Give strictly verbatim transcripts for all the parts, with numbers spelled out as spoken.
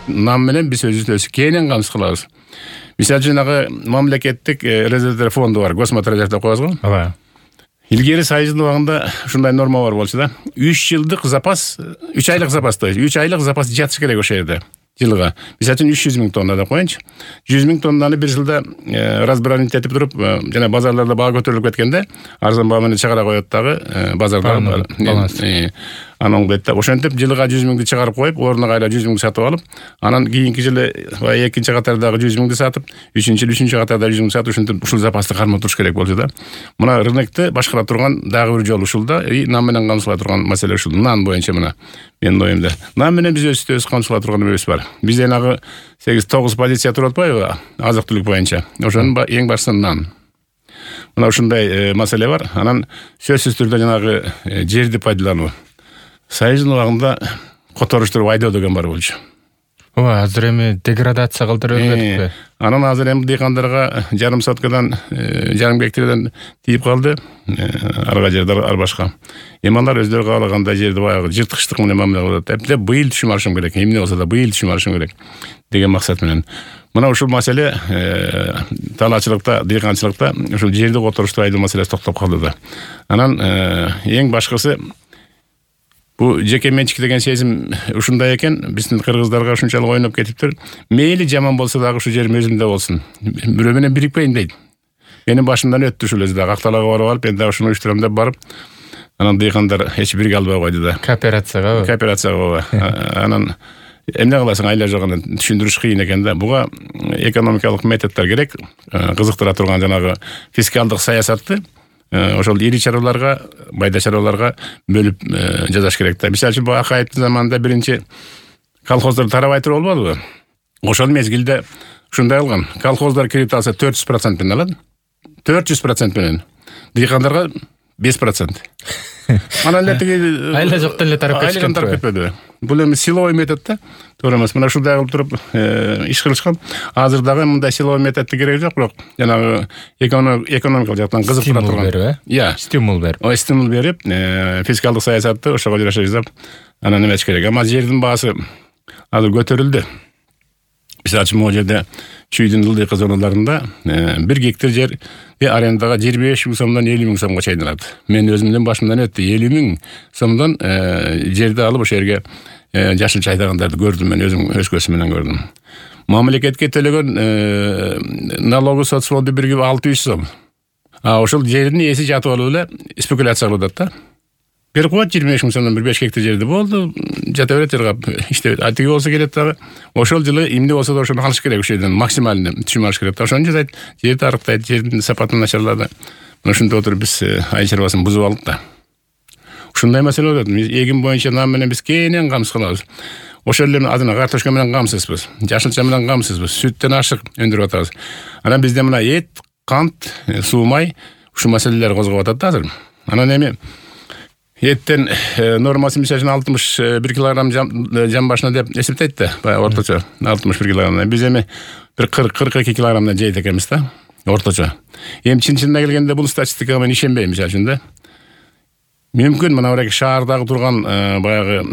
нам менен биз өзүбүздү кенен камсыз кылабыз. Мисалы үчүн жанагы мамлекеттик резервдер фонду бар, космотор деп коебуз го. Ооба. Илгери Союздун убагында ушундай норма бар болчу да. үч жылдык запас, үч айлык запас, то есть үч айлык запас жатыш керек ошол жерде. Жылга. Мисалы үчүн үч жүз миң тонна деп коеюнчу. жүз миң тоннаны бир жылда разбранить этип туруп, жана базарларда баа көтөрүлүп кеткенде, арзан баа менен чыгара коет дагы базарда. Анан дейт да, ошентип жылга жүз миңди чыгарып коюп, ордуна кайра жүз миңди сатып алып, анан кийинки жылы экинчи катардагы жүз миңди сатып, үчүнчү үчүнчү катарда жүз миң сатып, ушинтип ушул запасты кармап туруш керек болчу да. Мына рынокты башкара турган дагы бир жол ушул да, и нам менен камсызла турган маселе ушул. Нан боюнча мына менин оюмда. Нам менен биз өзүбүз камсызла турган неребиз бар. Бизде нагы сегиз тогуз позиция туруп атпайбы, азык-түлүк боюнча. Ошонун эң башысы нан. Мына ушундай маселе бар. Анан сөзсүз түрдө жанагы жерди пайдалануу. Союздун убагында которуштуруп айдоо деген бар болчу. Ооба, азыр эми деградация кылдырып бердикпи? Анан азыр эми дыйкандарга жарым соткадан, жарым гектардан тийип калды. Арга жерде ар башка. Эми алар өздөрү каалагандай жерди баягы жырткычтык менен мамиле кылат. Эптеп быйыл түшүм алышым керек. Эмне болсо да быйыл түшүм алышым керек деген максат менен. Мына ушул маселе талаачылыкта, дыйканчылыкта ушул жерди которуштуп айдоо маселеси токтоп калды да. Анан эң башкысы бу жеке менчик деген сезим ушундай экен, биздин кыргыздарга ушунчалык ойноп кетиптир. Мейли жаман болсо дагы ушу жерим өзүмдө болсун. Бирөө менен бирикпейин дейт. Менин башымдан өттү ушул өзү дагы Акталага барып алып, мен дагы ушуну уюштурам деп барып, анан дыйкандар эч бирге албай койду да. Кооперацияга. Кооперацияга. Анан эмне кыласың, айла жок, анан түшүндүрүш кыйын экен да. Буга экономикалык методдор керек, кызыктыра турган жанагы фискалдык саясатты ошол ири чараларга, майда чараларга бөлүп жасаш керек да. Мисалы үчүн Акаевдин заманында биринчи колхоздар тарабай туруп болбодубу? Ошол мезгилде ушундай кылган. Колхоздар кредит алса төрт жүз процент менен алат. төрт жүз процент менен. Дыйкандарга беш процент. Анан эле тиги айла жоктон эле тарап кетпеди. Бул эми силовой метод да. Туура эмес. Мына ушундай кылып туруп иш кылышкан. Азыр дагы мындай силовой методдун кереги жок, бирок жанагы экономикалык жактан кызыктыра турган. Иә, стимул берип. Ой, стимул берип, фискалдык саясатты ошого жараша жасап, анан эмес керек. Ама жердин баасы азыр көтөрүлдү. Мисалы үчүн могу жерде Чүйдүн ылдыйкы зоналарында бир гектар жер арендага жыйырма беш миң сомдон элүү миң сомго чейин алат. Мен өзүмдүн башымдан өттү. элүү миң сомдон жерди алып ошол жерге жашылча айдагандарды көрдүм, мен өзүм өз көзүм менен көрдүм. Мамлекетке төлөгөн налогу соцфонду бирге алты жүз сом. А ошол жердин ээси жатып алып эле спекуляция кылып атат да. Берип коет жыйырма беш миң сомдон бир беш гектар жерди болду, жата берет жыргап иштеп. Атиги болсо келет дагы. Ошол жылы эмне болсо да ошону алыш керек, ошол жерден максималды түшүм алыш керек. Ошону жасайт, жерди арыктайт, жердин сапатын начарлады. Мына ушунда отуруп биз айыл чарбасын бузуп алдык да. Ушундай маселе болот. Эгин боюнча нам менен биз кенен камсыз кылабыз. Ошол эле адына картошка менен камсызбыз, жашылча менен камсызбыз, сүттөн ашык өндүрүп атабыз. Анан бизде мына эт, кант, суу май ушул маселелер козгоп атат да азыр. Анан эми эттен нормасы мисалы үчүн алтымыш бир килограмм жан башына деп эсептейт да, баягы орточо алтымыш бир килограмм. Биз эми бир кырк кырк эки килограммдан жейт экенбиз да, орточо. Эми чын-чынына келгенде бул статистикага мен ишенбейм, мисалы үчүн да. Мүмкүн мына бир шаардагы турган баягы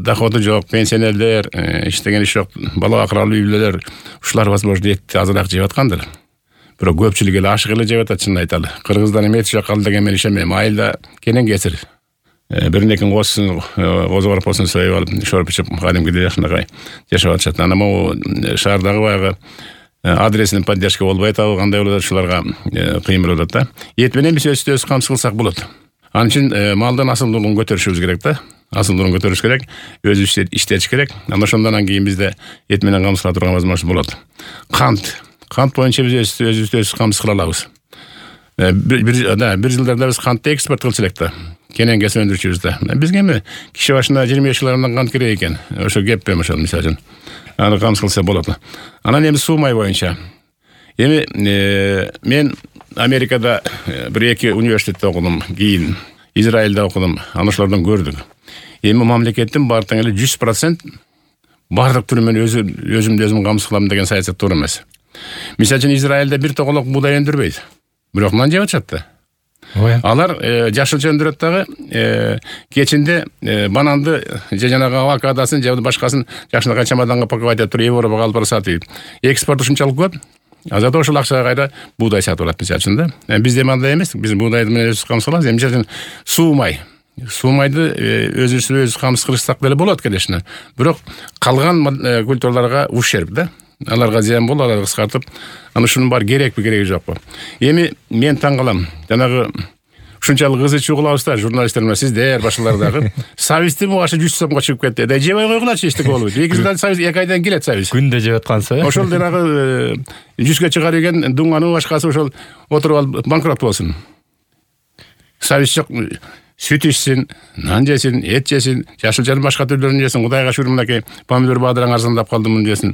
доходу жок пенсионерлер, иштеген иш жок, бала акыралуу үй бүлөлөр ушулар возможно этти азыраак жеп аткандыр. Бирок көпчүлүк эле ашык эле жеп атат, чынын айталы. Кыргыздар эми эти жок калды деген мен ишенбейм. Айылда кенен кесир. Биринекин козусун, козу корпосун союп алып, шоруп ичип, кадимкидей жакшынакай жашап атышат. Анан могу шаардагы баягы адресинин поддержка болбой атабы, кандай болот, ушуларга кыйын болот да. Эт менен биз өзүбүз камсыз кылсак болот. Анын үчүн малдын асылдуулугун көтөрүшүбүз керек да. Асылдуулугун көтөрүш керек, өзүбүз иштетиш керек. Анан ошондон кийин бизде эт менен камсыз кыла турган возможность болот. Кант. Кант боюнча биз өзүбүз камсыз кыла алабыз. Бир бир жылдарда биз кантты экспорт кылчу элек да. Кенен кесип өндүрчүбүз да. Бизге эми киши башына жыйырма беш килограммдан кант керек экен. Ошо кеппи ошол мисалы үчүн. Аны камсыз кылса болот. Анан эми суу май боюнча. Эми мен Америкада бир эки университетте окудум, кийин Израилде окудум. Аны ошолордон көрдүк. Эми мамлекеттин баардык эле жүз процент баардык түрү менен өзү өзүмдү өзүм камсыз кылам деген саясат туура эмес. Мисалы үчүн Израилде бир тоголок буудай өндүрбөйт. Бирок нан жеп атышат да. Алар жашылча өндүрөт дагы, кечинде бананды же жанагы авокадосын же башкасын жакшынакай чемоданга паковать этип туруп Европага алып бара сатып. Экспорт ушунчалык көп. Азат ошол акчага кайра буудай сатып алат мисалы үчүн да. Биз эми андай эмес. Биз буудайды менен өзүбүз камсыз кылабыз. Мисалы үчүн суумай. Суумайды өзүбүз өзүбүз камсыз кылышсак деле болот, конечно. Бирок калган культураларга ущерб да. Аларга зыян болот, аларды кыскартып, аны ушунун баары керекпи, кереги жокпу. Эми мен таң калам. Жанагы ушунчалык ызы чуу кылабыз да, журналисттер менен сиздер башкалар дагы. Сабизди мугашы жүз сомго чыгып кетти. Да жебей койгулачы эчтеке болбойт. эки жылдан сабиз эки айдан келет сабиз. Күндө жеп аткансыз. Ошол жанагы жүзгө чыгар деген дуңанын башкасы ошол отуруп алып банкрот болсун. Сабиз жок. Süt içsin, nan жесин, эт жесин, жашылчанын башка түрлөрүн жесин. Кудайга шүгүр, мынакей помидор баадыраң арзандап калды муну жесин.